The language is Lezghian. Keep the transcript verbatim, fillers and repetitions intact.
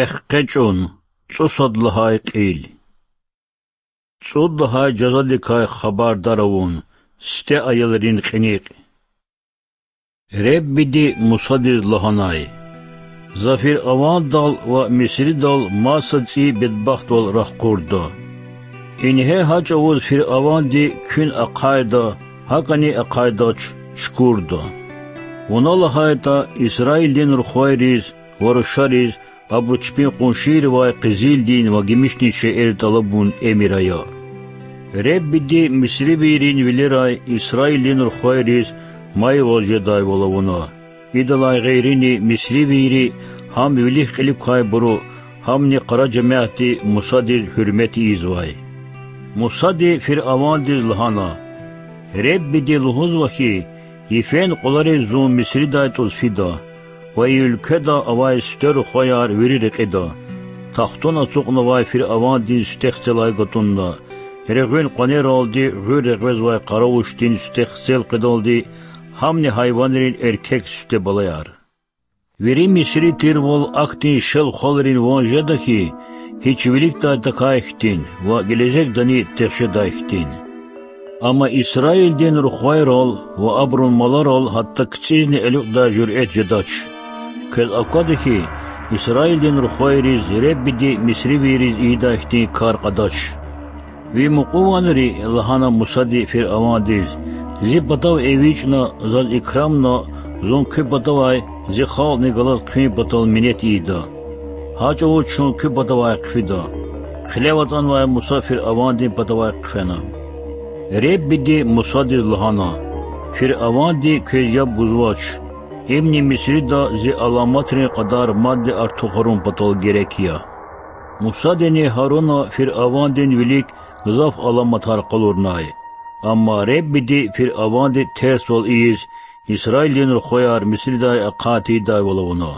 Эхкъечӏун. ЦӀусад лагьай кьил. ЦӀуд лагьай жазадикай хабардар авун. Сифте аялрин кьиникь. Реббиди Мусадиз лагьанай: За фиръавандал ва Мисридал маса цӀийи бедбахтвал рахкъурда. Ингье гьа чӀавуз фиръаванди куьн ахъайда, гьакӀани ахъайдач, чукурда. Вуна лагьайтӀа, Исраилдин рухвайриз ва рушариз абуру чпин къуншийривай къизилдин ва гимишдин шейэр тӀалабун эмир ая. Реббиди мисривийрин вилерай Исраилдин рухвайриз майвал жедайвал авуна. Идалай гъейрини мисривийри, гьам вилик-кьилик квайбуру, гьамни къара жемятди Мусадиз гьуьрмет ийизвай. Мусади фиръавандиз лагьана: Реббиди лугьузва хьи, йифен кьулариз зун Мисридай тӀуз фида ва и уьлкведа авай сифте рухваяр вири рекьида, тахтун ацукьнавай фиръавандин сифте хцелай гатӀунна, регъуьн къванералди гъуьр регъвезвай къаравушдин сифте хцел къведалди, гьамни гьайванрин эркек сифте балаяр. Вири мисри тирвал ахьтин шел-хвалрин ван жеда хьи, гьич виликдай тахьай хьтин ва гележегдани тегъ жедай хьтин. Амма Исраилдин рухвайрал ва абурун маларал гьатта кицӀизни элукьдай жуьрэт жедач. Квез аквада хьи, Исраилдин рухвайриз Реббиди мисривийриз ийидай хьтин кар кьадач. Ви мукьуванри,– лагьана Мусади фиръавандиз,– зи патав эвичӀна, заз икрамна, зун куь патавай зи халкьни галаз хъфин патал минет ийида. Гьа чӀавуз чун куь патавай хъфида. Хилев ацӀанвай Муса фиръавандин патавай хъфена. Реббиди Мусадиз лагьана: Фиръаванди квез яб гузвач. Имни Мисрида зи аламатрин кьадар мадни артухарун патал герек я. Мусадини Гьаруна фиръавандин вилик гзаф аламатар къалурнай. Амма Реббиди фиръавандин терсвал ийиз, Исраилдин рухваяр Мисридай ахъа тийидайвал авуна.